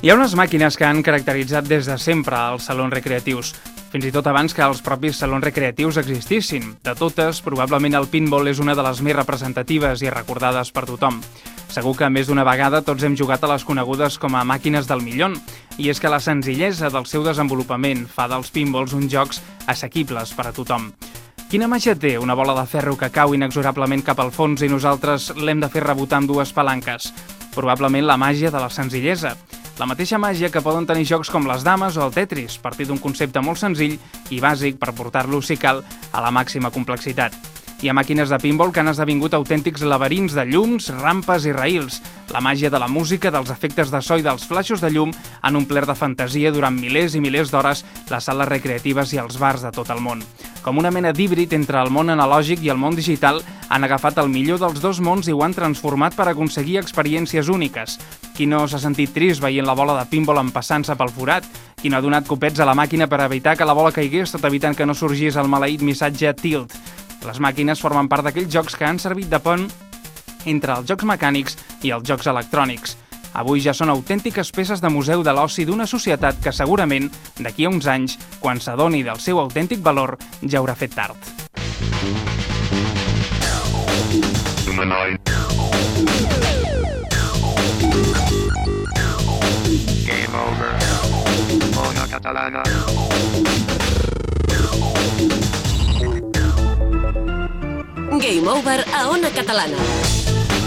Hi ha unes màquines que han caracteritzat des de sempre els salons recreatius, fins i tot abans que els propis salons recreatius existissin. De totes, probablement el pinball és una de les més representatives i recordades per tothom. Segur que més d'una vegada tots hem jugat a les conegudes com a màquines del millón, i és que la senzillesa del seu desenvolupament fa dels pinballs uns jocs assequibles per a tothom. Quina màgia té una bola de ferro que cau inexorablement cap al fons i nosaltres l'hem de fer rebotar amb dues palanques? Probablement la màgia de la senzillesa. La mateixa màgia que poden tenir jocs com les dames o el Tetris, partir d'un concepte molt senzill i bàsic per portar-lo, si cal, a la màxima complexitat. Hi ha màquines de pinball que han esdevingut autèntics laberints de llums, rampes i raïls. La màgia de la música, dels efectes de so i dels flaixos de llum han omplert de fantasia durant milers i milers d'hores les sales recreatives i els bars de tot el món. Com una mena d'híbrid entre el món analògic i el món digital, han agafat el millor dels dos mons i ho han transformat per aconseguir experiències úniques. Qui no s'ha sentit trist veient la bola de pinball empassant-se pel forat? Qui no ha donat copets a la màquina per evitar que la bola caigués, tot evitant que no sorgís el maleït missatge Tilt? Les màquines formen part d'aquells jocs que han servit de pont entre els jocs mecànics i els jocs electrònics. Avui ja són autèntiques peces de museu de l'oci d'una societat que segurament, d'aquí a uns anys, quan s'adoni del seu autèntic valor, ja haurà fet tard. Game over. Ona Catalana. Game Over a Ona Catalana.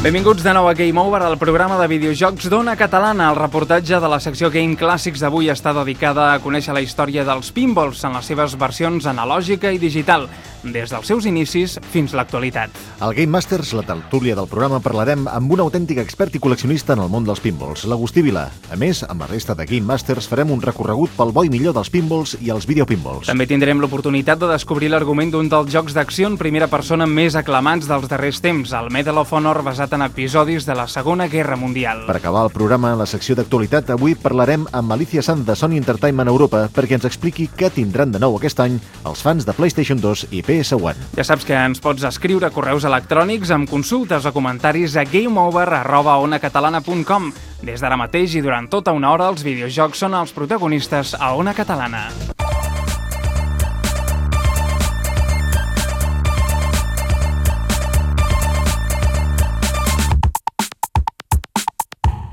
Benvinguts de nou a Game Over, el programa de videojocs d'Ona Catalana. El reportatge de la secció Game Clàssics d'avui està dedicada a conèixer la història dels pinballs en les seves versions analògica i digital, des dels seus inicis fins a l'actualitat. Al Game Masters, la tertúlia del programa, parlarem amb un autèntic expert i col·leccionista en el món dels pinballs, l'Agustí Vila. A més, amb la resta de Game Masters farem un recorregut pel bo i millor dels pinballs i els videopinballs. També tindrem l'oportunitat de descobrir l'argument d'un dels jocs d'acció en primera persona més aclamats dels darrers temps, el Medal of Honor, basat en episodis de la Segona Guerra Mundial. Per acabar el programa, en la secció d'actualitat, avui parlarem amb Alicia Sanz de Sony Entertainment Europa perquè ens expliqui què tindran de nou aquest any els fans de PlayStation 2 i PS1. Ja saps que ens pots escriure correus electrònics amb consultes o comentaris a gameover@onacatalana.com. Des d'ara mateix i durant tota una hora, els videojocs són els protagonistes a Ona Catalana.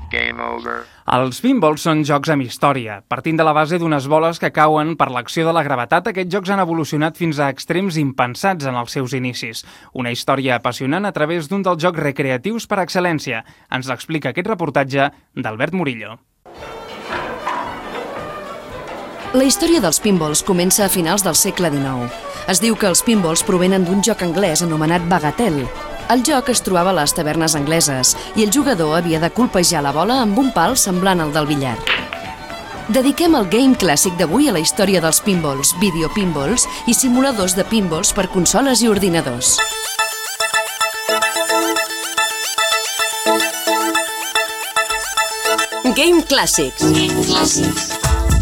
Game over. Els pinballs són jocs amb història. Partint de la base d'unes boles que cauen per l'acció de la gravetat, aquests jocs han evolucionat fins a extrems impensats en els seus inicis. Una història apassionant a través d'un dels jocs recreatius per excel·lència. Ens l'explica aquest reportatge d'Albert Murillo. La història dels pinballs comença a finals del segle XIX. Es diu que els pinballs provenen d'un joc anglès anomenat Bagatelle. El joc es trobava a les tavernes angleses i el jugador havia de colpejar la bola amb un pal semblant al del billar. Dediquem el Game Clàssic d'avui a la història dels pinballs, videopinballs i simuladors de pinballs per consoles i ordinadors. Game Clàssics.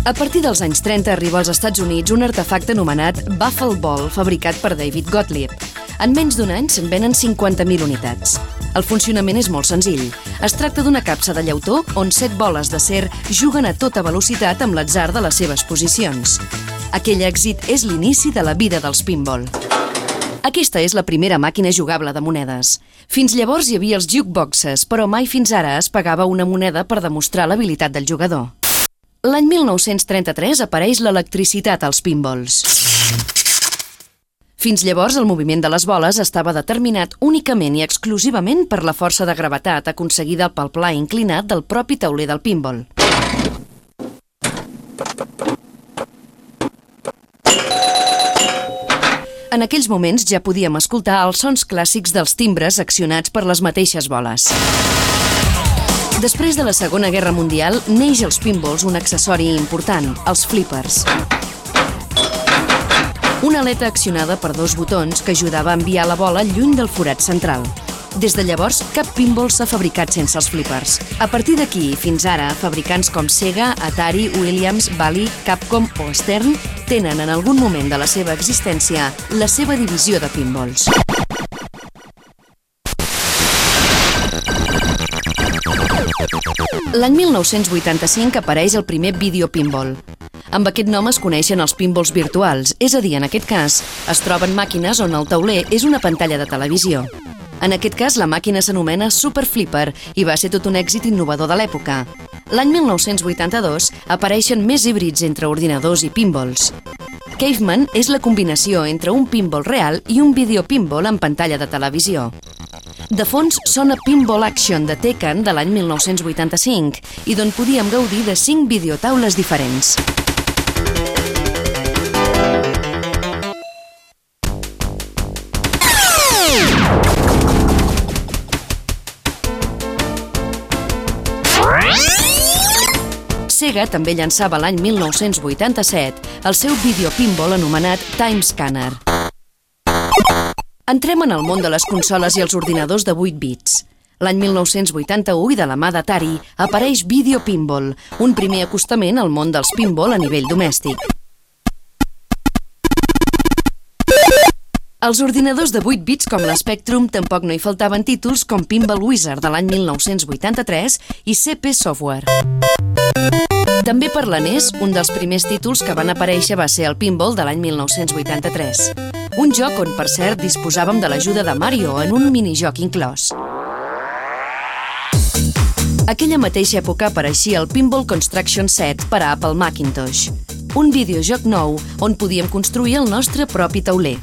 A partir dels anys 30 arriba als Estats Units un artefacte anomenat Buffalo Ball fabricat per David Gottlieb. En menys d'un any se'n venen 50.000 unitats. El funcionament és molt senzill. Es tracta d'una capsa de llautó on 7 boles d'acer juguen a tota velocitat amb l'atzar de les seves posicions. Aquell èxit és l'inici de la vida dels pinball. Aquesta és la primera màquina jugable de monedes. Fins llavors hi havia els jukeboxes, però mai fins ara es pagava una moneda per demostrar l'habilitat del jugador. L'any 1933 apareix l'electricitat als pinballs. Fins llavors, el moviment de les boles estava determinat únicament i exclusivament per la força de gravetat aconseguida pel pla inclinat del propi tauler del pinball. En aquells moments ja podíem escoltar els sons clàssics dels timbres accionats per les mateixes boles. Després de la Segona Guerra Mundial, neix als pinballs un accessori important, els flippers. Una aleta accionada per 2 botons que ajudava a enviar la bola lluny del forat central. Des de llavors, cap pinball s'ha fabricat sense els flippers. A partir d'aquí, fins ara, fabricants com Sega, Atari, Williams, Bally, Capcom o Stern tenen en algun moment de la seva existència la seva divisió de pinballs. L'any 1985 apareix el primer videopinball. Amb aquest nom es coneixen els pinballs virtuals, és a dir, en aquest cas, es troben màquines on el tauler és una pantalla de televisió. En aquest cas, la màquina s'anomena Super Flipper i va ser tot un èxit innovador de l'època. L'any 1982 apareixen més híbrids entre ordinadors i pinballs. Caveman és la combinació entre un pinball real i un videopinball en pantalla de televisió. De fons sona Pinball Action de Tekken de l'any 1985 i d'on podíem gaudir de 5 videotaules diferents. Sega també llançava l'any 1987 el seu videopinball anomenat Time Scanner. Entrem en el món de les consoles i els ordinadors de 8 bits. L'any 1981 i de la mà d'Atari apareix Video Pinball, un primer acostament al món dels pinball a nivell domèstic. Als ordinadors de 8 bits com l'Spectrum tampoc no hi faltaven títols com Pinball Wizard de l'any 1983 i CP Software. També per la NES, un dels primers títols que van aparèixer va ser el Pinball de l'any 1983. Un joc on, per cert, disposàvem de l'ajuda de Mario en un minijoc inclòs. Aquella mateixa època apareixia el Pinball Construction Set per a Apple Macintosh, un videojoc nou on podíem construir el nostre propi tauler.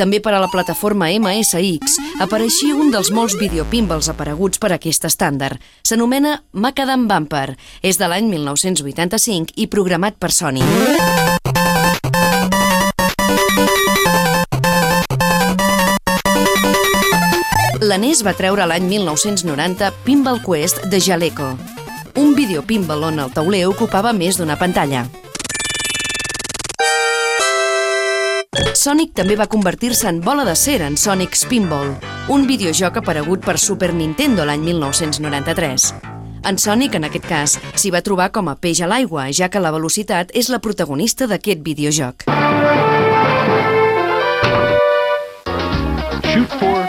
També per a la plataforma MSX apareixia un dels molts videopinballs apareguts per aquest estàndard. S'anomena Macadam Bumper. És de l'any 1985 i programat per Sony. La NES va treure l'any 1990 Pinball Quest de Jaleco, un videopinball on el tauler ocupava més d'una pantalla. Sonic també va convertir-se en bola de cera en Sonic Spinball, un videojoc aparegut per Super Nintendo l'any 1993. En Sonic, en aquest cas, s'hi va trobar com a peix a l'aigua, ja que la velocitat és la protagonista d'aquest videojoc. Shoot for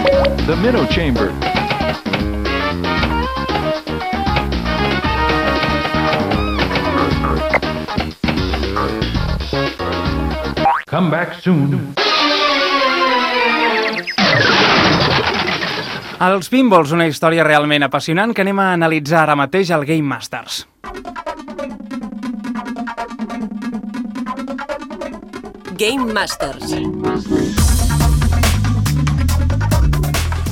the minnow chamber. Come back soon. Els pinballs, una història realment apassionant que anem a analitzar ara mateix al Game Masters. Game Masters.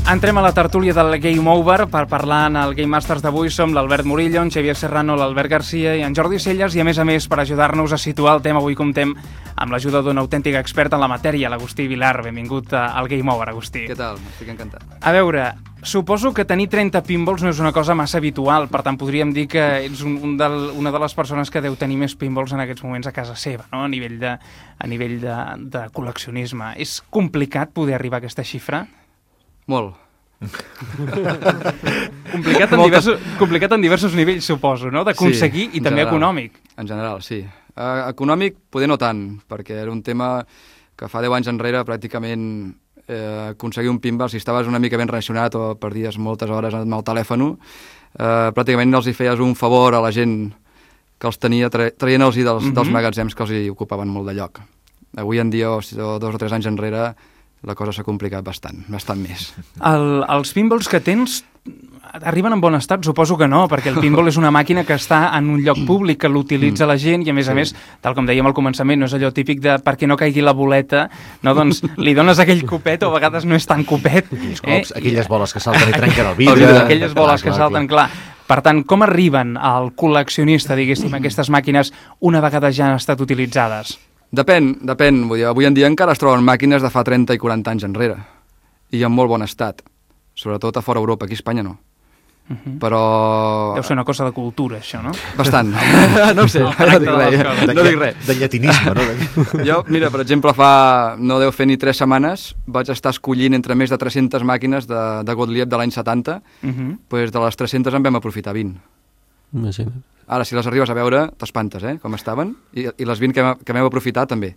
Entrem a la tertúlia del Game Over per parlar en el Game Masters d'avui. Som l'Albert Murillo, en Xavier Serrano, l'Albert Garcia i en Jordi Celles i, a més, per ajudar-nos a situar el tema, avui comptem amb l'ajuda d'un autèntic expert en la matèria, l'Agustí Vilar. Benvingut al Game Over, Agustí. Què tal? Estic encantat. A veure, suposo que tenir 30 pinballs no és una cosa massa habitual, per tant podríem dir que ets una de les persones que deu tenir més pinballs en aquests moments a casa seva, no? A nivell de col·leccionisme. És complicat poder arribar a aquesta xifra? Molt. Complicat en diversos nivells, suposo, no? D'aconseguir i també econòmic. En general, sí. Econòmic, poder no tant, perquè era un tema que fa 10 anys enrere pràcticament aconseguir un pinball, si estaves una mica ben relacionat o perdies moltes hores amb el telèfon, pràcticament els hi feies un favor a la gent que els tenia, traient-los dels magatzems que els hi ocupaven molt de lloc. Avui en dia, o 2 o 3 anys enrere, la cosa s'ha complicat bastant més. Els pinballs que tens arriben en bon estat? Suposo que no, perquè el pinball és una màquina que està en un lloc públic, que l'utilitza la gent i, a més, tal com dèiem al començament, no és allò típic de perquè no caigui la boleta, no? Doncs li dones aquell copet, o a vegades no és tan copet. Aquells cops, aquelles boles que salten i trenquen el vidre. Aquelles boles que salten, clar. Per tant, com arriben al col·leccionista, diguéssim, aquestes màquines una vegada ja han estat utilitzades? Depèn. Vull dir, avui en dia encara es troben màquines de fa 30 i 40 anys enrere. I en molt bon estat. Sobretot a fora Europa, aquí a Espanya no. Però... Deu ser una cosa de cultura, això, no? Bastant. No ho sé, no dic res. De llatinisme, no? Jo, mira, per exemple, no deu fer ni 3 setmanes, vaig estar escollint entre més de 300 màquines de Gottlieb de l'any 70, doncs de les 300 en vam aprofitar 20. Imagina't. Ara, si les arribes a veure, t'espantes, com estaven, i les 20 que vam aprofitar també.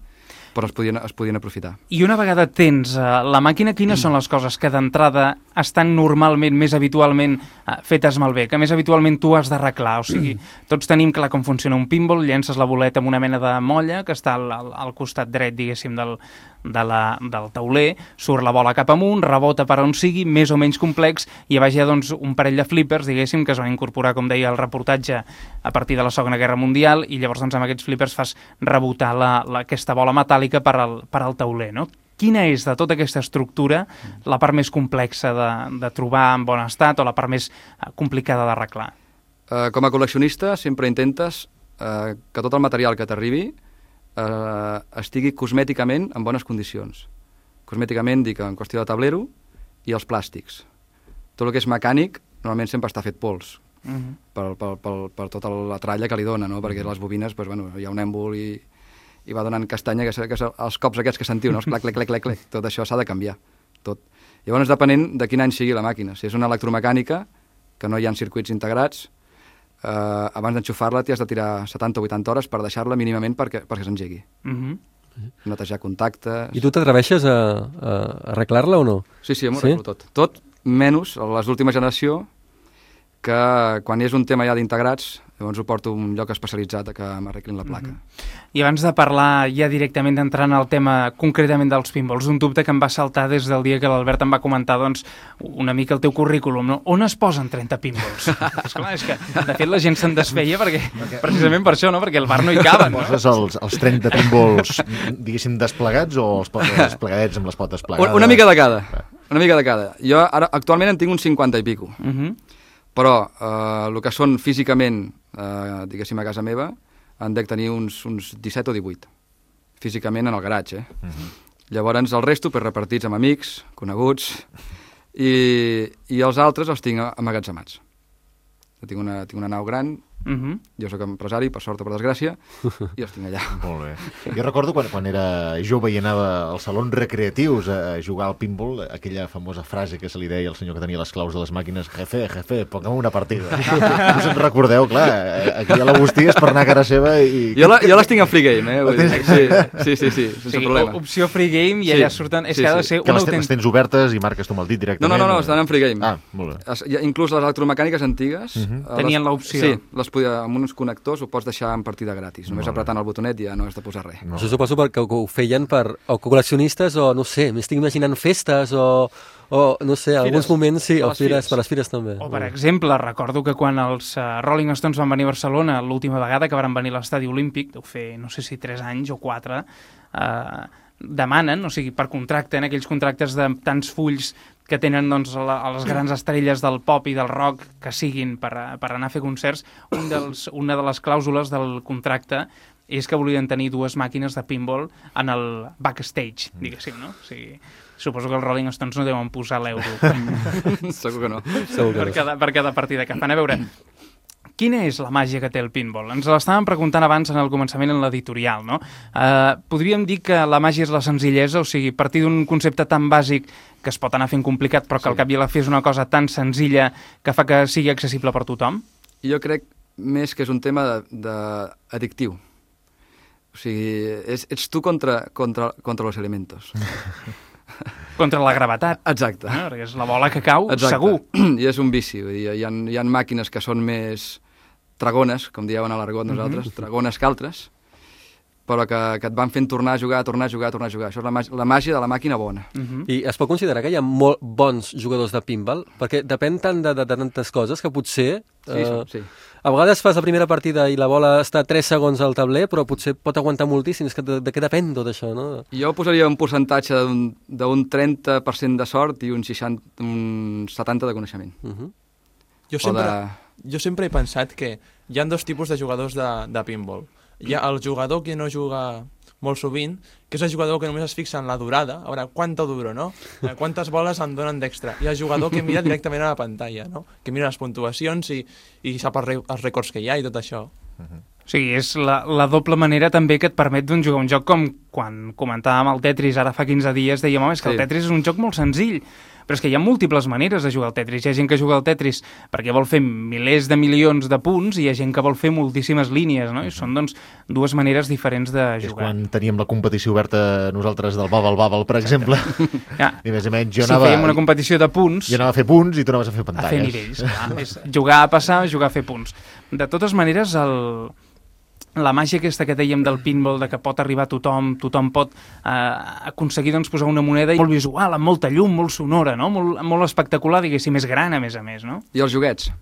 però es podien aprofitar. I una vegada tens la màquina, quines són les coses que d'entrada estan normalment, més habitualment fetes malbé, que més habitualment tu has d'arreglar? O sigui, tots tenim clar com funciona un pinball, llences la boleta amb una mena de molla que està al costat dret, diguéssim, del tauler, surt la bola cap amunt, rebota per on sigui, més o menys complex, i a baix hi ha doncs, un parell de flippers, diguéssim, que es van incorporar, com deia el reportatge, a partir de la Segona Guerra Mundial, i llavors doncs, amb aquests flippers fas rebotar aquesta bola metàl·lica per al tauler, no? Quina és, de tota aquesta estructura, la part més complexa de trobar en bon estat o la part més complicada d'arreglar? Com a col·leccionista sempre intentes que tot el material que t'arribi estigui cosmèticament en bones condicions. Cosmèticament dic en qüestió de tablero i els plàstics. Tot el que és mecànic normalment sempre està fet pols per tota la tralla que li dona, no? Perquè les bobines, doncs, bueno, hi ha un èmbol i va donant castanya, que els cops aquests que sentiu, no? Els clac, clac, clac, clac, clac. Tot això s'ha de canviar, tot. Llavors, depenent de quin any sigui la màquina. Si és una electromecànica, que no hi ha circuits integrats, abans d'enxufar-la t'hi has de tirar 70 o 80 hores per deixar-la mínimament perquè s'engegui. Netejar contactes... I tu t'atreveixes a arreglar-la o no? Sí, m'ho arreglo tot. Tot menys les d'última generació, que quan hi és un tema ja d'integrats, llavors ho porto a un lloc especialitzat a que m'arreglin la placa. I abans de parlar ja directament d'entrar en el tema concretament dels pinballs, un dubte que em va saltar des del dia que l'Albert em va comentar doncs, una mica el teu currículum, no? On es posen 30 pinballs? És que, de fet, la gent se'n desfeia precisament per això, no? Perquè el bar no hi caben. No? Poses els 30 pinballs, diguéssim, desplegats o els desplegadets amb les potes plegades? Una mica de cada. Una mica de cada. Jo ara actualment en tinc uns 50 i pico. Però el que són físicament, diguéssim, a casa meva, en dec tenir uns 17 o 18, físicament en el garatge. Llavors el resto repartits amb amics, coneguts, i els altres els tinc amagatzemats. Tinc una nau gran, jo sóc empresari, per sort o per desgràcia, i els tinc allà. Molt bé. Jo recordo quan era jove i anava als salons recreatius a jugar al pinball, aquella famosa frase que se li deia al senyor que tenia les claus de les màquines: jefe, ponga'm una partida. Us en recordeu? Clar, aquí a l'Agustí és per anar a cara seva i... Jo les tinc en free game, Sí, sense problema. Opció free game i allà surten... És que ha de ser que les tens obertes i marques tu amb el dit directament? No, estan en free game. Ah, molt bé. Inclús les electromecàniques antigues... Tenien l'opció. Sí, amb uns connectors ho pots deixar en partida gratis. Només apretant el botonet ja no has de posar res. Això suposo perquè ho feien per col·leccionistes o, no sé, m'estic imaginant festes o no sé, alguns moments, sí, per les fires també. O, per exemple, recordo que quan els Rolling Stones van venir a Barcelona l'última vegada que van venir a l'estadi olímpic, deu fer, no sé si 3 anys o 4, demanen, o sigui, per contracte, en aquells contractes de tants fulls que tenen doncs, a les grans estrelles del pop i del rock que siguin per anar a fer concerts, una de les clàusules del contracte és que volien tenir 2 màquines de pinball en el backstage, diguéssim, no? O sigui, suposo que els Rolling Stones no deuen posar l'euro. Segur que no. Per cada partida que fan. A veure, quina és la màgia que té el pinball? Ens l'estàvem preguntant abans en el començament en l'editorial, no? Podríem dir que la màgia és la senzillesa, o sigui, partir d'un concepte tan bàsic que es pot anar fent complicat, però que al cap i a la fi és una cosa tan senzilla que fa que sigui accessible per tothom? Jo crec més que és un tema addictiu. O sigui, ets tu contra los elementos. Contra la gravetat. Exacte. Perquè és la bola que cau, segur. I és un vici. Hi ha màquines que són més dragones, com dieu a l'argot nosaltres, dragones que altres, però que et van fent tornar a jugar. Això és la màgia de la màquina bona. I es pot considerar que hi ha molt bons jugadors de pinball? Perquè depèn tant de tantes coses que potser... Sí. A vegades fas la primera partida i la bola està 3 segons al tabler, però potser pot aguantar moltíssim. És que de què depèn tot això, no? Jo posaria un percentatge d'un 30% de sort i un 70% de coneixement. Jo sempre he pensat que hi ha 2 tipus de jugadors de pinball. Hi ha el jugador que no juga molt sovint, que és el jugador que només es fixa en la durada, a veure, quanta duro, no? Quantes boles em donen d'extra. I el jugador que mira directament a la pantalla, no? Que mira les puntuacions i sap els rècords que hi ha i tot això. O sigui, és la doble manera també que et permet jugar un joc com quan comentàvem el Tetris ara fa 15 dies, dèiem, home, és que el Tetris és un joc molt senzill, però és que hi ha múltiples maneres de jugar al Tetris. Hi ha gent que juga al Tetris perquè vol fer milers de milions de punts i hi ha gent que vol fer moltíssimes línies, no? I són, doncs, dues maneres diferents de jugar. És quan teníem la competició oberta nosaltres del Bubble, per exemple. I més o menys jo anava... Si fèiem una competició de punts... Jo anava a fer punts i tu anaves a fer pantalles. A fer nivells, clar. És jugar a passar, jugar a fer punts. De totes maneres, la màgia aquesta que dèiem del pinball, de que pot arribar a tothom pot aconseguir posar una moneda molt visual, amb molta llum, molt sonora, no? Molt espectacular, diguéssim, més gran, a més, no? I els joguets,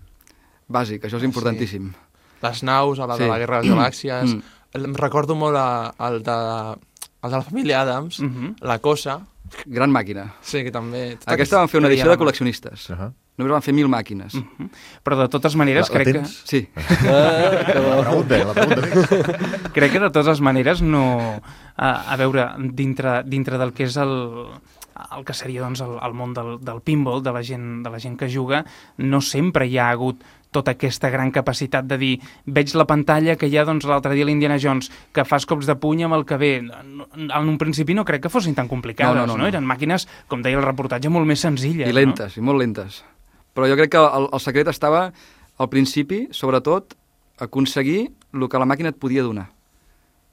bàsic, això és importantíssim. Sí. Les naus, de la Guerra de les Galàxies, em recordo molt el de la família Adams, la Cosa. Gran màquina. Sí, que també... Aquesta van fer una edició de col·leccionistes. Només van fer 1.000 màquines. Però de totes maneres crec que... Sí. La pregunta. Crec que de totes maneres no... A veure, dintre del que és el que seria el món del pinball, de la gent que juga, no sempre hi ha hagut tota aquesta gran capacitat de dir veig la pantalla que hi ha l'altre dia l'Indiana Jones, que fas cops de puny amb el que ve. En un principi no crec que fossin tan complicades, no? Eren màquines, com deia el reportatge, molt més senzilles. I lentes, i molt lentes. Però jo crec que el secret estava, al principi, sobretot, aconseguir el que la màquina et podia donar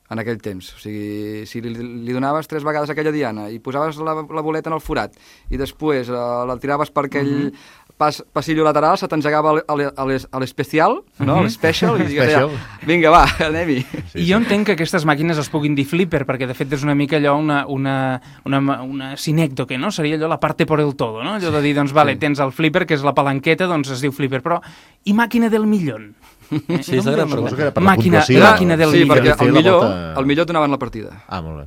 en aquell temps. O sigui, si li donaves 3 vegades aquella diana i posaves la boleta en el forat i després la tiraves per aquell passillo lateral, se t'engegava a l'especial, no? A l'especial, i digues, vinga, va, anem-hi. I jo entenc que aquestes màquines es puguin dir flipper, perquè de fet és una mica allò una sinècdoque, no? Seria allò la parte por el todo, no? Allò de dir, doncs, vale, tens el flipper, que és la palanqueta, doncs es diu flipper, però i màquina del millón? Sí, és la gran pregunta. Màquina del millón. Sí, perquè el millor et donaven la partida. Ah, molt bé.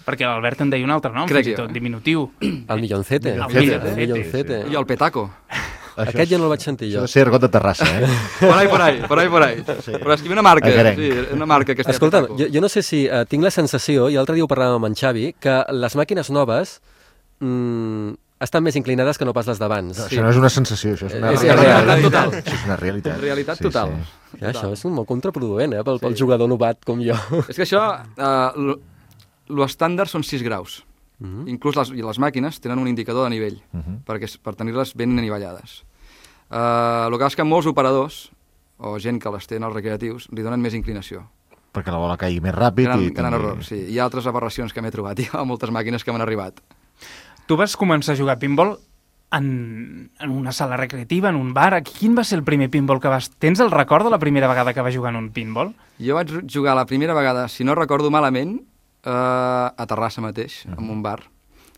Perquè l'Albert en deia un altre nom, fins i tot, diminutiu. El milloncete. I el petaco. Aquest ja no el vaig sentir jo. Això de ser argot de Terrassa, Por ahí. Però és que hi ha una marca, una marca que es deia Escolta, petaco. jo no sé si tinc la sensació, i l'altre dia ho parlàvem amb en Xavi, que les màquines noves estan més inclinades que no pas les d'abans. Això no és una sensació, això és una realitat total. Això és una realitat. Realitat total. Ja, això és molt contraproduent, pel jugador novat com jo. És que això, l'estàndard són 6 graus. Inclús les màquines tenen un indicador de nivell, per tenir-les ben anivellades. El que és que molts operadors, o gent que les té en els recreatius, li donen més inclinació. Perquè la bola caigui més ràpid. Gran error, sí. Hi ha altres aberracions que m'he trobat. Hi ha moltes màquines que m'han arribat. Tu vas començar a jugar a pinball en una sala recreativa, en un bar. Quin va ser el primer pinball que vas... Tens el record de la primera vegada que vas jugar en un pinball? Jo vaig jugar la primera vegada, si no recordo malament, a Terrassa mateix, en un bar.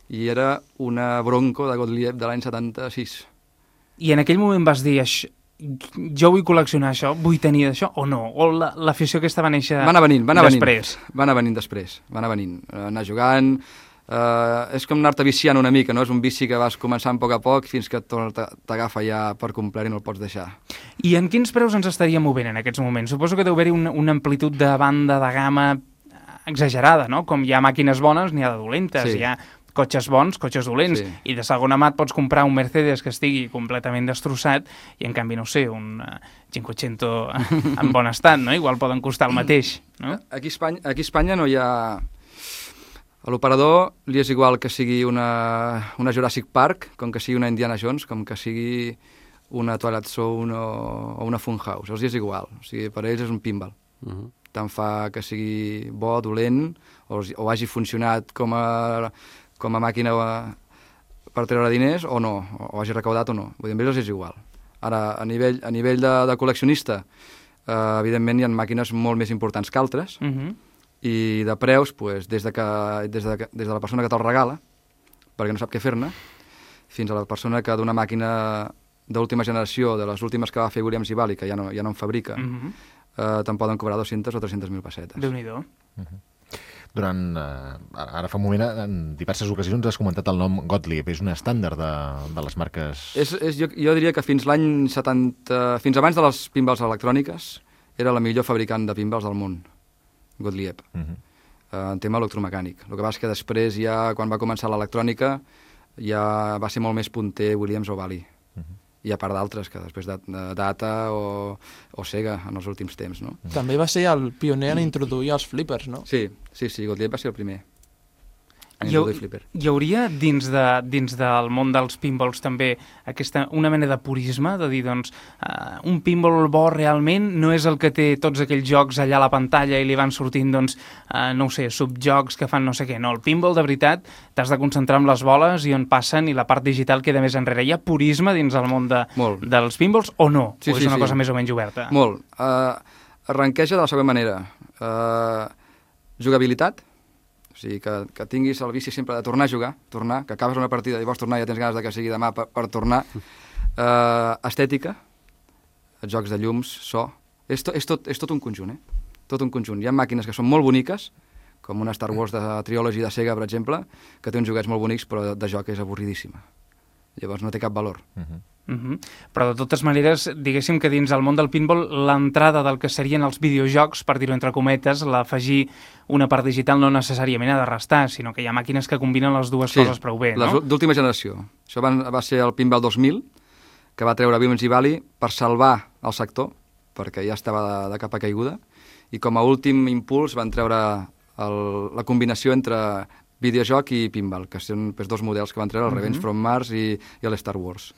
I era una Bronco de Gottlieb de l'any 76. I en aquell moment vas dir, jo vull col·leccionar això, vull tenir això, o no? O l'afició aquesta va néixer després? Va anar venint després. Va anar venint. Anar jugant... és com anar-te viciant una mica, no? És un vici que vas començant a poc fins que t'agafa ja per complet i no el pots deixar. I en quins preus ens estaria movent en aquests moments? Suposo que deu haver-hi una amplitud de banda, de gamma exagerada, no? Com hi ha màquines bones, n'hi ha de dolentes, hi ha cotxes bons, cotxes dolents, i de segona mà et pots comprar un Mercedes que estigui completament destrossat i en canvi, no sé, un 500 en bon estat, no? Igual poden costar el mateix, no? Aquí a Espanya no hi ha... A l'operador li és igual que sigui una Jurassic Park, com que sigui una Indiana Jones, com que sigui una Twilight Zone o una Funhouse. Els és igual. O sigui, per ells és un pinball. Tant fa que sigui bo, dolent, o hagi funcionat com a màquina per treure diners o no, o hagi recaudat o no. Vull dir, amb ells és igual. Ara, a nivell de col·leccionista, evidentment hi ha màquines molt més importants que altres, i de preus, des de la persona que te'l regala, perquè no sap què fer-ne, fins a la persona que d'una màquina d'última generació, de les últimes que va fer Williams i Bally, que ja no en fabrica, te'n poden cobrar 200 o 300.000 pessetes. Déu-n'hi-do. Ara fa un moment, en diverses ocasions has comentat el nom Gottlieb, és un estàndard de les marques... Jo diria que fins l'any 70, fins abans de les pinballs electròniques, era la millor fabricant de pinballs del món. Gottlieb, en tema electromecànic. El que passa és que després, ja quan va començar l'electrònica, ja va ser molt més punter Williams o Bally. i a part d'altres, que després de Data o Sega en els últims temps, no? També va ser el pioner en introduir els flippers, no? Sí, Gottlieb va ser el primer. Hi hauria dins del món dels pinballs també una mena de purisme, de dir, doncs, un pinball bo realment no és el que té tots aquells jocs allà a la pantalla i li van sortint, doncs, no ho sé, subjocs que fan no sé què. No, el pinball de veritat t'has de concentrar en les boles i on passen i la part digital queda més enrere. Hi ha purisme dins el món dels pinballs o no? O és una cosa més o menys oberta? Molt. Arranqueja de la següent manera. Jugabilitat, o sigui, que tinguis el vici sempre de tornar a jugar, que acabes una partida i vols tornar i ja tens ganes que sigui demà per tornar. Estètica, jocs de llums, so... És tot un conjunt, Tot un conjunt. Hi ha màquines que són molt boniques, com una Star Wars de Trilogy de Sega, per exemple, que té uns joguets molt bonics, però de joc és avorridíssima. Llavors no té cap valor. Però de totes maneres, diguéssim que dins el món del pinball l'entrada del que serien els videojocs, per dir-ho entre cometes, l'afegir una part digital no necessàriament ha de restar, sinó que hi ha màquines que combinen les dues coses prou bé, no? D'última generació. Això va ser el Pinball 2000, que va treure Williams i Bally per salvar el sector, perquè ja estava de capa caiguda, i com a últim impuls van treure la combinació entre videojoc i pinball, que són dos models que van treure, el Revenge from Mars i l'Star Wars.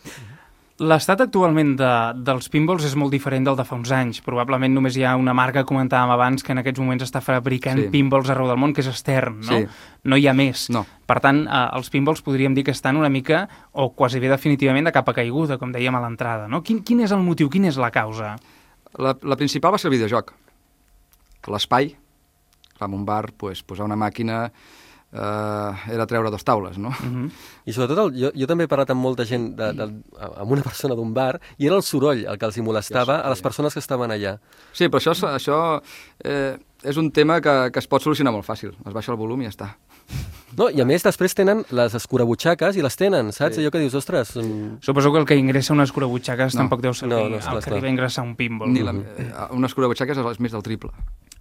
L'estat actualment dels pinballs és molt diferent del de fa uns anys. Probablement només hi ha una marca, comentàvem abans, que en aquests moments està fabricant pinballs arreu del món, que és Stern, no? No hi ha més. No. Per tant, els pinballs podríem dir que estan una mica, o quasi bé definitivament, de capa caiguda, com dèiem a l'entrada, no? Quin és el motiu, quina és la causa? La principal va ser el videojoc. L'espai, en un bar, posar una màquina... era treure dos taules, no? I sobretot, jo també he parlat amb molta gent, amb una persona d'un bar, i era el soroll el que els molestava a les persones que estaven allà. Sí, però això és un tema que es pot solucionar molt fàcil. Es baixa el volum i ja està. No, i a més després tenen les escurabutxaques i les tenen, saps? Allò que dius, ostres... Suposo que el que ingressa una escurabutxaques tampoc deu ser el que li va ingressar un pinball. Una escurabutxaques és més del triple.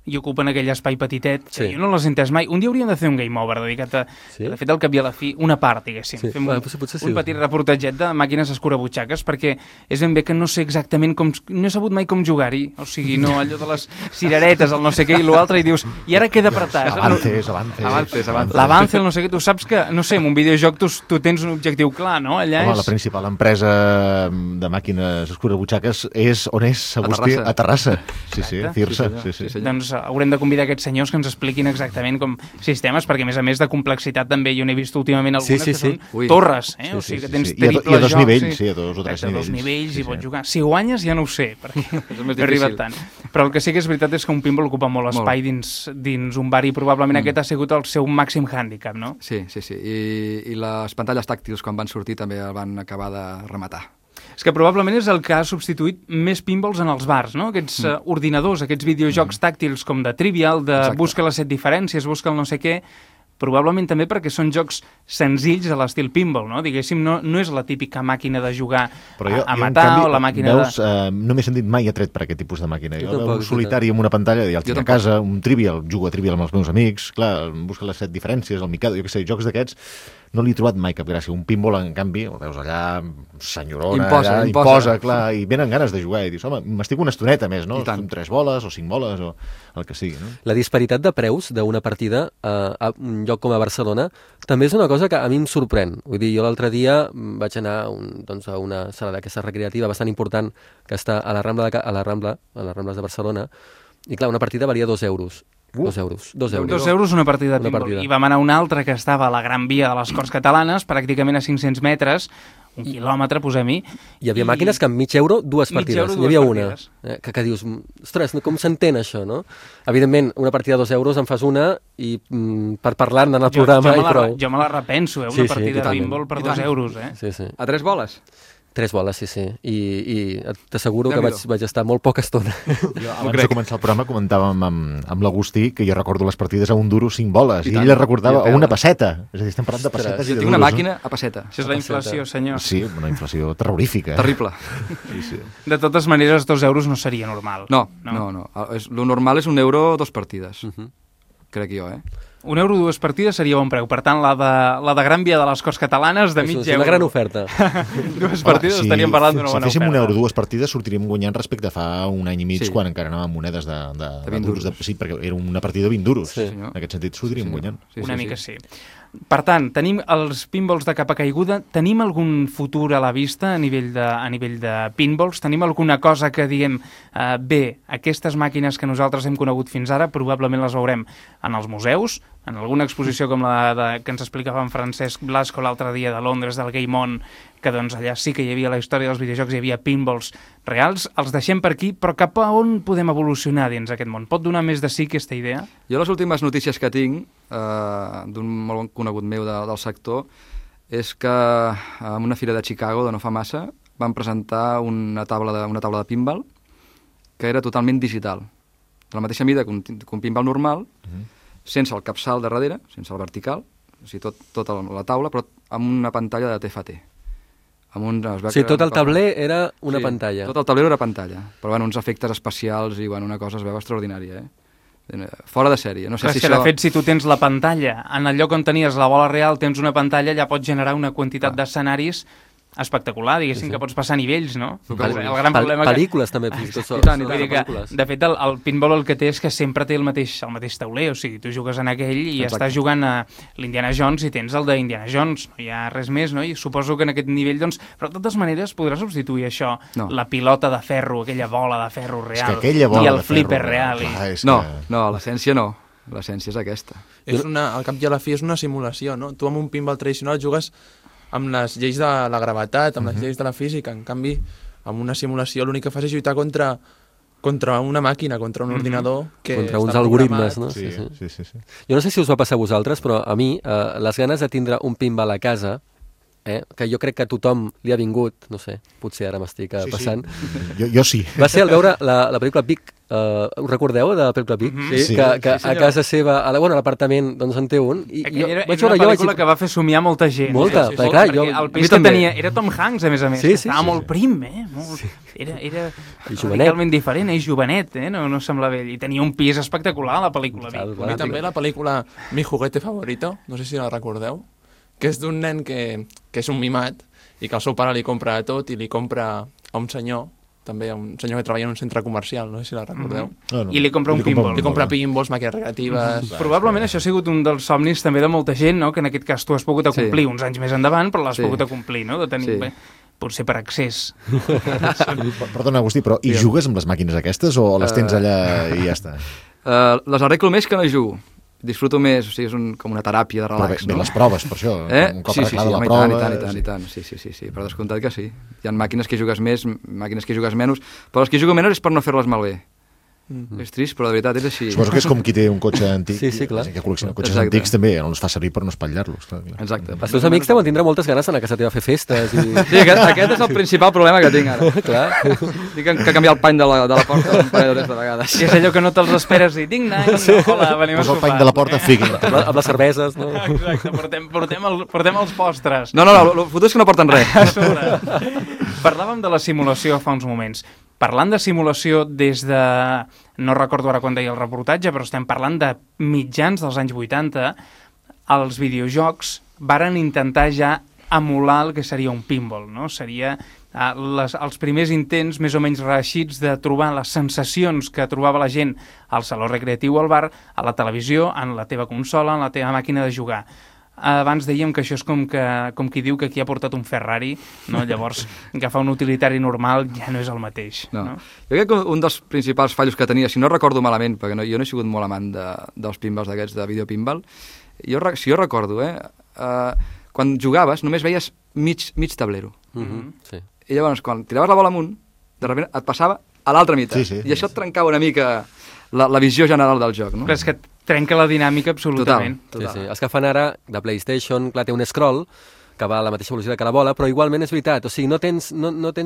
I ocupen aquell espai petitet, que jo no l'he entès mai. Un dia hauríem de fer un game over dedicat a, de fet, al cap i a la fi, una part, diguéssim. Fem un petit reportatget de màquines escurabutxaques, perquè és ben bé que no sé exactament com... No he sabut mai com jugar-hi. O sigui, no, allò de les cireretes, el no sé què i l'altre, i dius, i ara queda apretat. Avances. L'avance, el no sé què. Tu saps que, no sé, en un videojoc tu tens un objectiu clar, no? Allà la principal empresa de màquines escurabutxaques és on és, Agustí? A Terrassa. Sí, Cirsa. Doncs haurem de convidar aquests senyors que ens expliquin exactament com sistemes, perquè a més de complexitat també jo n'he vist últimament algunes que són torres, o sigui que tens triple jocs. I a dos nivells, a dos o tres nivells. A dos nivells i pots jugar. Si guanyes ja no ho sé, perquè no he arribat tant. Però el que sí que és veritat és que un pinball ocupa molt espai dins un bar i probablement aquest ha sigut el seu màxim hàndicap, no? Sí. I les pantalles tàctils quan van sortir també el van acabar de rematar. És que probablement és el que ha substituït més pinballs en els bars, no? Aquests ordinadors, aquests videojocs tàctils com de Trivial, de busca les 7 diferències, busca el no sé què, probablement també perquè són jocs senzills a l'estil pinball, no? Diguéssim, no és la típica màquina de jugar a matar o la màquina de... No m'he sentit mai atret per aquest tipus de màquina. Jo un solitari amb una pantalla i el tinc a casa, un Trivial, jugo a Trivial amb els meus amics, clar, busca les 7 diferències, el Mikado, jo què sé, jocs d'aquests, no li he trobat mai cap gràcia. Un pinball, en canvi, el veus allà, senyorona, imposa, clar, i venen ganes de jugar, i dius, home, m'estic una estoneta més, no? Són 3 boles o 5 boles o el que sigui, no? La disparitat de preus d'una partida a un lloc com a Barcelona també és una cosa que a mi em sorprèn. Vull dir, jo l'altre dia vaig anar a una sala d'aquesta recreativa bastant important que està a les Rambles de Barcelona, i clar, una partida valia 2 euros. 2 euros. 2 euros una partida de pinball. I vam anar a una altra que estava a la Gran Via de les Corts Catalanes, pràcticament a 500 metres, 1 quilòmetre, posem-hi. Hi havia màquines que amb mig euro, 2 partides. Hi havia una. Que dius, ostres, com s'entén això, no? Evidentment, una partida de 2 euros en fas una i per parlar-ne en el programa i prou. Jo me la repenso, una partida de pinball per 2 euros. A 3 boles? 3 boles, sí. I t'asseguro que vaig estar molt poca estona. Abans de començar el programa comentàvem amb l'Agustí que jo recordo les partides a un duro 5 boles i ell les recordava a una passeta. És a dir, estem parlant de pessetes i de duros. Jo tinc una màquina a passeta. Això és la inflació, senyor. Sí, una inflació terrorífica. Terrible. De totes maneres, 2 euros no seria normal. No. Lo normal és 1 euro 2 partides. Crec jo, €1 2 partides seria bon preu. Per tant, la de Gran Via de les Corts Catalanes, de mig És una gran oferta. 2 partides estaríem parlant d'una bona Si féssim oferta. €1 2 partides, sortiríem guanyant respecte a fa un any i mig, Sí. quan encara anàvem monedes de 20 duros. duros. Sí, perquè era una partida de 20 duros. Sí. En aquest sentit, sortiríem guanyant. Una mica sí. Per tant, tenim els pinballs de capa caiguda. Tenim algun futur a la vista a nivell de pinballs? Tenim alguna cosa que diguem bé, aquestes màquines que nosaltres hem conegut fins ara probablement les veurem en els museus, en alguna exposició com la que ens explicava en Francesc Blasco l'altre dia de Londres, del Game On, que doncs allà sí que hi havia la història dels videojocs, hi havia pinballs reals. Els deixem per aquí, però cap a on podem evolucionar dins aquest món? Pot donar més de sí aquesta idea? Jo les últimes notícies que tinc d'un molt bon conegut meu del sector és que en una fira de Chicago de no fa massa van presentar una taula de pinball que era totalment digital, de la mateixa mida que un pinball normal, sense el capçal de darrere, sense el vertical, o sigui, tota la taula, però amb una pantalla de TFT. Tot el tabler era una pantalla. Tot el tabler era pantalla, però uns efectes especials i una cosa es veu extraordinària, fora de sèrie. No sé Clar, si és que, de fet, si tu tens la pantalla, en el lloc on tenies la bola real, tens una pantalla, ja pots generar una quantitat d'escenaris espectacular, diguéssim, que pots passar nivells, no? El gran problema pel·lícules també, vull dir que, de fet, el pinball el que té és que sempre té el mateix tauler, o sigui, tu jugues en aquell i estàs jugant a l'Indiana Jones i tens el d'Indiana Jones, no hi ha res més, no? I suposo que en aquest nivell, doncs, però de totes maneres podrà substituir això, la pilota de ferro, aquella bola de ferro real, i el flipper real. No, l'essència no. L'essència és aquesta. Al cap i a la fi és una simulació, no? Tu amb un pinball tradicional jugues amb les lleis de la gravetat, amb les lleis de la física. En canvi, amb una simulació l'únic que fas és lluitar contra una màquina, contra un ordinador que contra està uns algoritmes, programat. no? Sí. Jo no sé si us va passar a vosaltres, però a mi les ganes de tindre un pinball a casa, que jo crec que a tothom li ha vingut, no sé, potser ara m'estic passant. Jo sí. Va ser al veure la pel·lícula Vic. Us recordeu de la pel·lícula Vic? Que a casa seva, a l'apartament, doncs en té un. Era una pel·lícula que va fer somiar molta gent. Molta, perquè clar, el pis que tenia era Tom Hanks, a més. Estava molt prim, Era radicalment diferent, jovenet, no sembla vell. I tenia un pis espectacular, la pel·lícula Vic. I també la pel·lícula Mi juguete favorito, no sé si la recordeu, que és d'un nen que és un mimat i que el seu pare li compra tot i li compra a un senyor, també a un senyor que treballa en un centre comercial, no sé si la recordeu. I li compra un pinball. Li compra pinballs, màquines recreatives... Probablement això ha sigut un dels somnis també de molta gent, no? Que en aquest cas tu has pogut acomplir uns anys més endavant, però l'has pogut acomplir, no? De tenir... Potser per accés. Perdona, Agustí, però i jugues amb les màquines aquestes o les tens allà i ja està? Les arreglo més que no jugo. Disfruto més, o sigui, és com una teràpia de relax, no? Les proves, per això. Un cop arreglada la prova... I tant. Sí, per descomptat que sí. Hi ha màquines que jugues més, màquines que jugues menys, però les que jugo menys és per no fer-les malbé. És trist, però de veritat és així. Suposo que és com qui té un cotxe antic. Sí, clar. Que col·lecciona cotxes antics també, no els fa servir per no espatllar-los. Exacte. Els teus amics deuen tindre moltes ganes d'anar a casa teva a fer festes. Sí, aquest és el principal problema que tinc ara. Clar. Tinc que canviar el pany de la porta un parell de vegades. I és allò que no te'ls esperes i hola, venim a sopar. Posa el pany de la porta, figui. Amb les cerveses, no? Exacte, portem els postres. No, el fotut és que no porten res. Parlàvem de la simulació fa uns moments. Parlant de simulació des de... No recordo ara quan deia el reportatge, però estem parlant de mitjans dels anys 80, els videojocs varen intentar ja emular el que seria un pinball, no? Seria els primers intents més o menys reeixits de trobar les sensacions que trobava la gent al saló recreatiu, al bar, a la televisió, en la teva consola, en la teva màquina de jugar. Abans dèiem que això és com qui diu que aquí ha portat un Ferrari, no? Llavors agafar un utilitari normal ja no és el mateix. No? Jo crec que un dels principals fallos que tenia, si no recordo malament, perquè jo no he sigut molt amant dels pinballs d'aquests de videopinball, si jo recordo, quan jugaves només veies mig tablero. Sí. I llavors quan tiraves la bola amunt, de sobte et passava a l'altra meitat. I això et trencava una mica la visió general del joc. No? Però és que trenca la dinàmica absolutament. Total. Sí. Els que fan ara de PlayStation, clar, té un scroll que va a la mateixa velocitat que la bola, però igualment és veritat, o sigui, no tens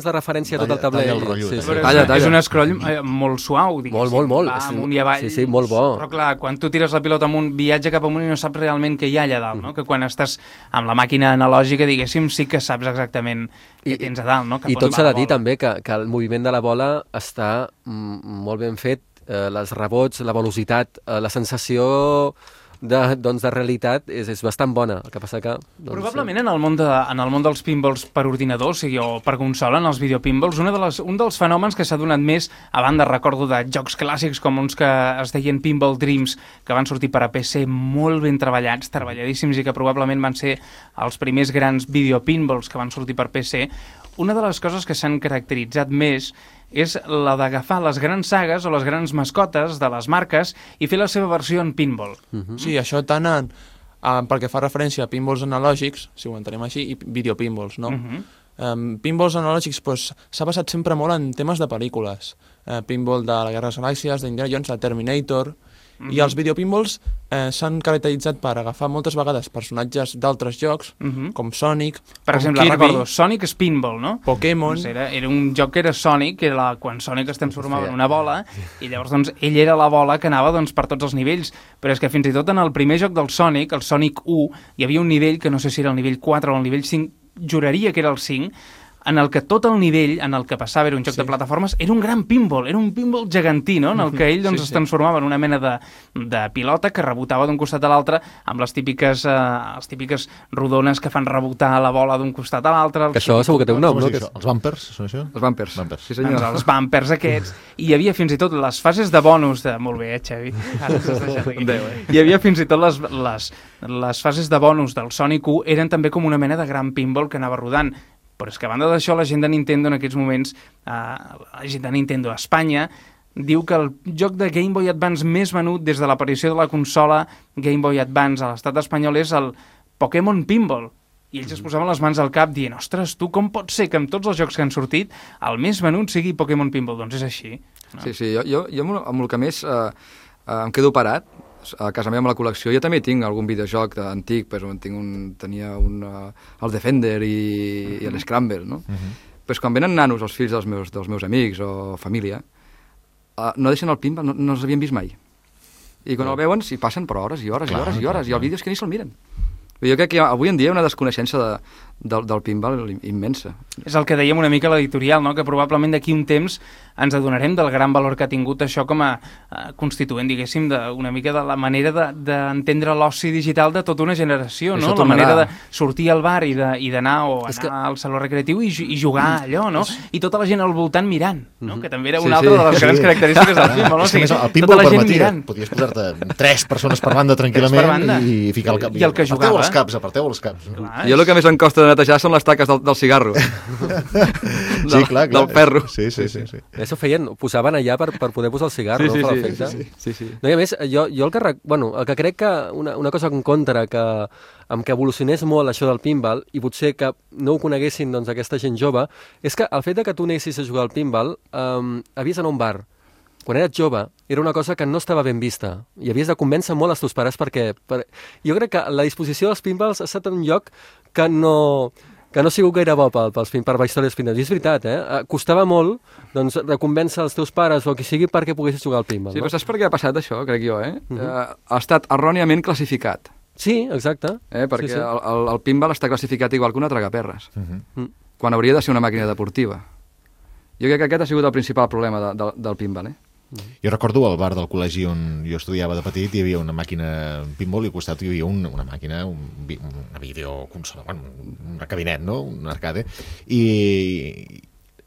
la referència a tot el tabler. Talla, és un scroll molt suau, diguéssim. Molt. Va amunt i avall. Sí, molt bo. Però clar, quan tu tires la pilota amunt, viatja cap amunt i no saps realment què hi ha allà dalt, no? Que quan estàs amb la màquina analògica, diguéssim, sí que saps exactament què tens a dalt, no? I tot s'ha de dir també que el moviment de la bola està molt ben fet, les rebots, la velocitat, la sensació de realitat és bastant bona. El que passa que... Doncs, Probablement en el món dels pinballs per ordinador, o sigui, o per consola, en els videopinballs, un dels fenòmens que s'ha donat més, a banda, recordo, de jocs clàssics com uns que es deien Pinball Dreams, que van sortir per a PC molt ben treballats, treballadíssims, i que probablement van ser els primers grans videopinballs que van sortir per PC. Una de les coses que s'han caracteritzat més és la d'agafar les grans sagues o les grans mascotes de les marques i fer la seva versió en pinball. Sí, això tant pel que fa referència a pinballs analògics, si ho entenem així, i videopinballs, no? Pinballs analògics s'ha basat sempre molt en temes de pel·lícules. Pinball de la Guerra de les Galàxies, d'Indiana Jones, de Terminator... I els videopinballs s'han caracteritzat per agafar moltes vegades personatges d'altres jocs, com Sonic, per exemple, Kirby, recordo, Sonic és pinball, no? Pokémon... Doncs era un joc que era Sonic, que era quan Sonic es transformava en una bola, i llavors doncs, ell era la bola que anava doncs, per tots els nivells. Però és que fins i tot en el primer joc del Sonic, el Sonic 1, hi havia un nivell, que no sé si era el nivell 4 o el nivell 5, juraria que era el 5, en el que tot el nivell en el que passava era un joc de plataformes, era un gran pinball, era un pinball gegantí, no? En el que ell es transformava en una mena de pilota que rebotava d'un costat a l'altre amb les típiques rodones que fan rebotar la bola d'un costat a l'altre. Que això segur que té un nom, no? Els bumpers, són això? Els bumpers. Sí, senyor. Doncs els bumpers aquests. I hi havia fins i tot les fases de bonus de... Molt bé, Xavi. Ara s'has deixat aquí. Hi havia fins i tot les fases de bonus del Sonic 1 eren també com una mena de gran pinball que anava rodant. Però és que a banda d'això, la gent de Nintendo en aquests moments, la gent de Nintendo a Espanya, diu que el joc de Game Boy Advance més venut des de l'aparició de la consola Game Boy Advance a l'estat espanyol és el Pokémon Pinball. I ells es posaven les mans al cap dient, ostres, tu com pot ser que amb tots els jocs que han sortit el més venut sigui Pokémon Pinball? Doncs és així. No? Sí, jo amb el que més em quedo parat, a casa meva amb la col·lecció, jo també tinc algun videojoc antic, tenia el Defender i l'Scramble, no? Però quan venen nanos, els fills dels meus amics o família, no deixen el pinball, no els havien vist mai. I quan el veuen s'hi passen per hores i hores i hores i hores, i el vídeo és que ni se'l miren. Jo crec que avui en dia hi ha una desconeixença del pinball immensa. És el que dèiem una mica a l'editorial, no? Que probablement d'aquí un temps ens adonarem del gran valor que ha tingut això com a constituent, diguéssim, una mica de la manera d'entendre l'oci digital de tota una generació, no? La manera de sortir al bar i d'anar al saló recreatiu i jugar allò, no? I tota la gent al voltant mirant, no? Que també era una altra de les grans característiques del pinball, no? O sigui, el pinball permetia, podies posar-te 3 persones per banda tranquil·lament i ficar el cap. I el que jugava. Aparteu els caps. Jo el que més em costa de netejar són les taques del cigarro. Sí, clar. Del ferro. Sí. Això posaven allà per poder posar el cigarro, no? Per l'efecte. Sí. No, i a més, jo el que crec que una cosa en contra amb que evolucionés molt això del pinball, i potser que no ho coneguessin doncs, aquesta gent jove, és que el fet de que tu anessis a jugar al pinball, havies d'anar a un bar. Quan eres jove, era una cosa que no estava ben vista i havies de convèncer molt els teus pares perquè... Jo crec que la disposició dels pinballs ha estat en un lloc que no ha sigut gaire bo per la història dels pinballs. I és veritat, costava molt doncs, de convèncer els teus pares o qui sigui perquè poguessis jugar al pinball. Sí, però saps per què ha passat això, crec jo, ha estat erròniament classificat. Sí, exacte. Perquè el pinball està classificat igual que una tragaperres, quan hauria de ser una màquina deportiva. Jo crec que aquest ha sigut el principal problema del pinball, Jo recordo al bar del col·legi on jo estudiava de petit, hi havia una màquina pinball i al costat hi havia una màquina, una videoconsola, un cabinet, no? Un arcade. I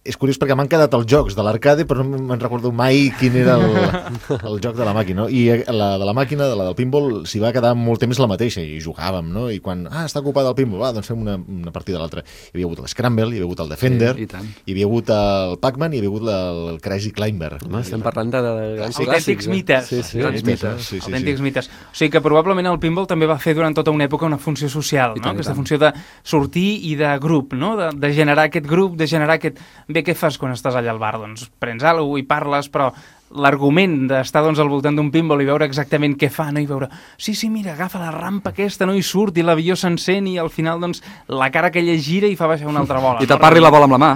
és curiós perquè m'han quedat els jocs de l'arcade, però no me'n recordo mai quin era el joc de la màquina, no? I la de la màquina, la del pinball, s'hi va quedar molt temps la mateixa, i jugàvem, no? I quan, està ocupat el pinball, doncs fem una partida a l'altra. Hi havia hagut l'Scramble, hi havia hagut el Defender, hi havia hagut el Pac-Man i hi havia hagut el Crazy Climber. Estem parlant de grans autèntics mites. Autèntics mites. O sigui que probablement el pinball també va fer durant tota una època una funció social, no? Aquesta funció de sortir i de grup, no? De generar aquest grup, de generar aquest... Bé, què fas quan estàs allà al bar? Doncs prens alguna cosa i parles, però l'argument d'estar doncs, al voltant d'un pinball i veure exactament què fa, no? I veure, sí, mira, agafa la rampa aquesta, no? I surt, i l'avió s'encén, i al final doncs, la cara que ella gira i fa baixar una altra bola. I tapar-li la bola amb la mà.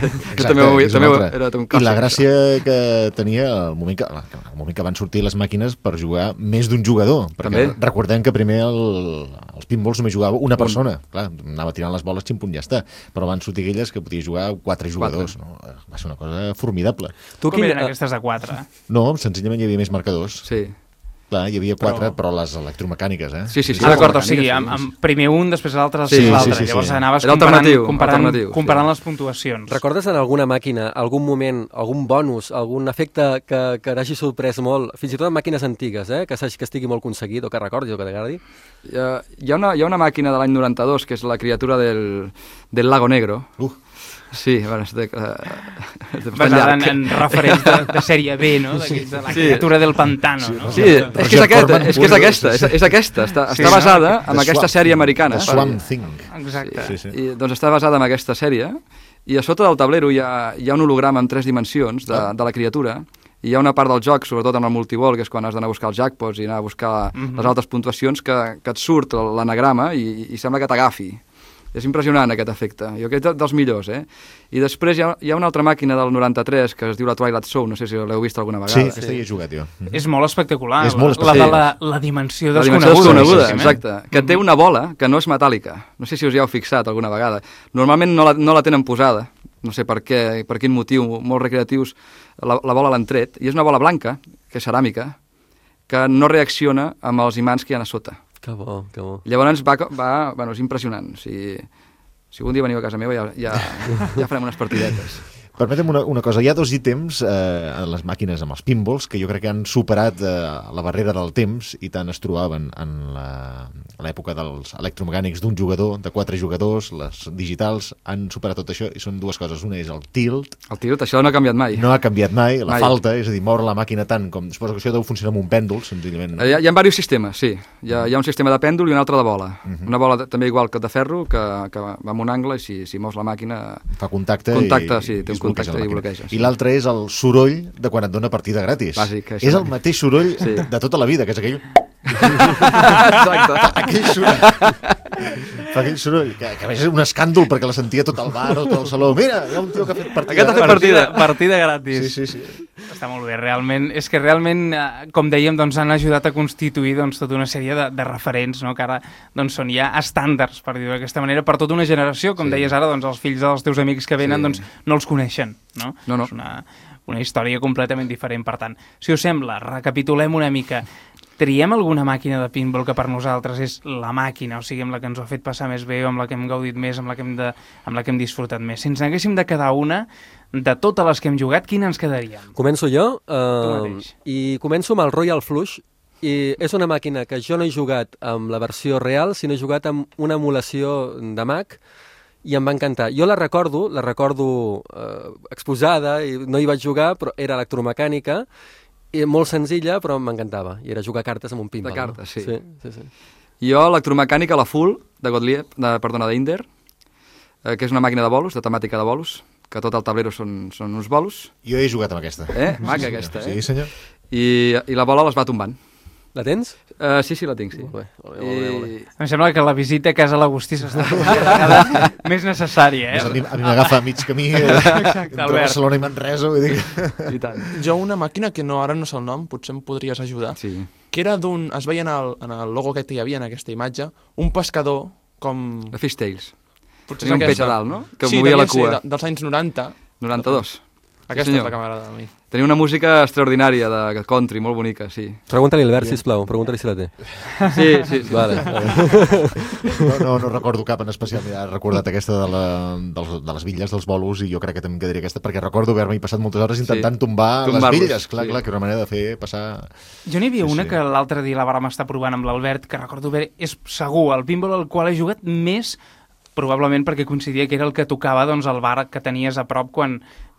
Exacte, també era un clàssic. I la gràcia que tenia el moment que van sortir les màquines per jugar més d'un jugador, perquè recordem que primer els pinballs només jugava una persona. Clar, anava tirant les boles, ximpunt, ja està. Però van sortir aquelles que podia jugar 4 jugadors. No? Va ser una cosa formidable. Com eren aquestes de 4? No, senzillament hi havia més marcadors. Sí. Clar, hi havia 4, però les electromecàniques, eh? Sí. D'acord, o sigui, amb primer un, després l'altre, després l'altre. Llavors anaves comparant les puntuacions. Recordes en alguna màquina, algun moment, algun bonus, algun efecte que t'hagi sorprès molt, fins i tot en màquines antigues, que estigui molt aconseguit o que recordis o que t'agradi? Hi ha una màquina de l'any 92 que és la criatura del Lago Negro. Sí, bueno, és basada en referents de sèrie B, no? De la criatura del pantano, no? Sí, és aquesta. Està basada en aquesta sèrie americana. Swamp Thing. Exacte. I, doncs està basada en aquesta sèrie, i a sota del tablero hi ha un holograma en 3 dimensions de la criatura, i hi ha una part del joc, sobretot en el multibol, que és quan has d'anar a buscar els jackpots i anar a buscar les altres puntuacions, que et surt l'anagrama i sembla que t'agafi. És impressionant aquest efecte, jo crec que dels millors, I després hi ha una altra màquina del 93 que es diu la Twilight Zone, no sé si l'heu vist alguna vegada. Sí, aquesta hi he jugat jo. És molt espectacular, és molt espectacular. La dimensió desconeguda. Exacte, que té una bola que no és metàl·lica, no sé si us hi heu fixat alguna vegada. Normalment no la tenen posada, no sé per quin motiu, molts recreatius la bola l'han tret, i és una bola blanca, que és ceràmica, que no reacciona amb els imants que hi ha a sota. Que bo, que bo. Llavors bueno, és impressionant. Si algun dia veniu a casa meva ja farem unes partidetes. Permetem una cosa, hi ha 2 ítems a les màquines amb els pinballs que jo crec que han superat la barrera del temps i tant es trobaven en l'època dels electromecànics d'un jugador, de 4 jugadors, les digitals han superat tot això i són 2 coses. Una és el tilt. El tilt, això no ha canviat mai. No ha canviat mai, la falta, és a dir, moure la màquina tant com... Suposo que això deu funcionar amb un pèndol, senzillament. Hi ha diversos sistemes, sí. Hi ha un sistema de pèndol i un altre de bola. Una bola també igual que de ferro, que va en un angle i si mous la màquina... Fa contacte sí, té un contacte i bloqueja. I l'altre és el soroll de quan et dona partida gratis. Bàsic, és el mateix soroll de tota la vida, que és aquell... Exacte. Aquell soroll. Fa aquell soroll, que a més és un escàndol perquè la sentia tot el bar o tot el saló. Mira, hi ha un tio que ha fet partida. Aquest ha fet partida gratis. Sí. Està molt bé, realment. És que realment, com dèiem, doncs, han ajudat a constituir tota una sèrie de referents, no? Que ara són ja estàndards, per dir-ho d'aquesta manera, per tota una generació. Com deies ara, doncs, els fills dels teus amics que venen doncs, no els coneixen. No? És una història completament diferent. Per tant, si us sembla, recapitulem una mica. Triem alguna màquina de pinball que per nosaltres és la màquina, o sigui, amb la que ens ho ha fet passar més bé, o amb la que hem gaudit més, amb la que hem disfrutat més. Si ens n'haguéssim de quedar una, de totes les que hem jugat, quina ens quedaríem? Començo jo, i començo amb el Royal Flush, i és una màquina que jo no he jugat amb la versió real, sinó he jugat amb una emulació de Mac, i em va encantar. Jo la recordo exposada, i no hi vaig jugar, però era electromecànica, i molt senzilla, però m'encantava. I era jugar cartes amb un pinball. De cartes, sí. Sí. Jo, electromecànica, la Full, d'Inder, que és una màquina de bolos, de temàtica de bolos, que tot el tablero són uns bolos. Jo he jugat amb aquesta. Maca aquesta, Sí, senyor. I la bola les va tombant. La tens? Sí, la tinc, sí. Molt bé. Em sembla que la visita a casa l'Agustí s'està cada més necessària, A mi m'agafa a mig camí entre Barcelona i Manresa, vull dir. I tant. Jo una màquina que ara no sé el nom, potser em podries ajudar, que era es veia en el logo que hi havia en aquesta imatge, un pescador com... La Fish Tales. Potser és un peix a dalt, no? Que movia la cua. Sí, dels anys 90. 92. Aquesta és la que m'agrada a mi. Tenia una música extraordinària de country, molt bonica, sí. Pregunta-li a Albert, sisplau, pregunta-li si la té. Sí. Vale. No recordo cap en especial, he recordat aquesta de les bitlles, dels bolos, i jo crec que també em quedaria aquesta, perquè recordo haver-m'hi passat moltes hores intentant tombar les bitlles, clar, que era una manera de fer passar... Jo n'hi havia una que l'altre dia la vàrem estar provant amb l'Albert, que recordo bé, és segur el pinball al qual he jugat més, probablement perquè coincidia que era el que tocava al bar que tenies a prop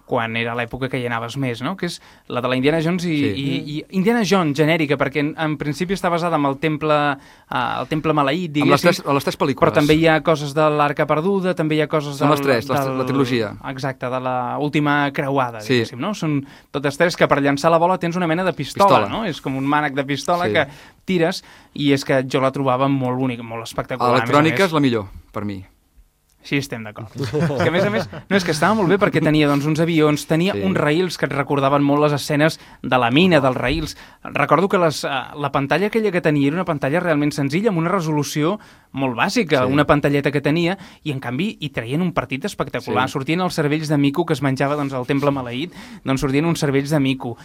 quan era l'època que hi anaves més, no? Que és la de la Indiana Jones i Indiana Jones genèrica, perquè en principi està basada en el temple maleït, diguéssim. Amb les tres pel·lícules. Però també hi ha coses de l'Arca Perduda, també hi ha coses Són les tres, la trilogia. Exacte, de l'última creuada, diguéssim, no? Són totes tres que per llançar la bola tens una mena de pistola. No? És com un mànec de pistola que tires, i és que jo la trobava molt bonica, molt espectacular. Electrònica és la millor, per mi. Sí, estem d'acord. És que, a més, no, és que estava molt bé perquè tenia doncs, uns avions, tenia uns rails que et recordaven molt les escenes de la mina, dels rails. Recordo que la pantalla aquella que tenia era una pantalla realment senzilla, amb una resolució molt bàsica, una pantalleta que tenia, i en canvi hi traien un partit espectacular. Sortien els cervells de mico que es menjava doncs, al temple maleït, doncs sortien uns cervells de mico.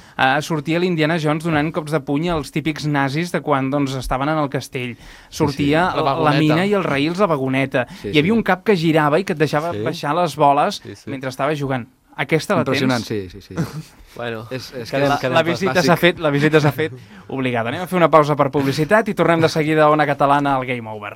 Sortia l'Indiana Jones donant cops de puny als típics nazis de quan doncs, estaven en el castell. Sortia la mina i els rails, la vagoneta. Hi havia un cap que girava i que et deixava baixar les boles mentre estava jugant. Aquesta la tens? Impressionant, sí. Bueno, la visita s'ha fet obligada. Anem a fer una pausa per publicitat i tornem de seguida a Ona Catalana al Game Over.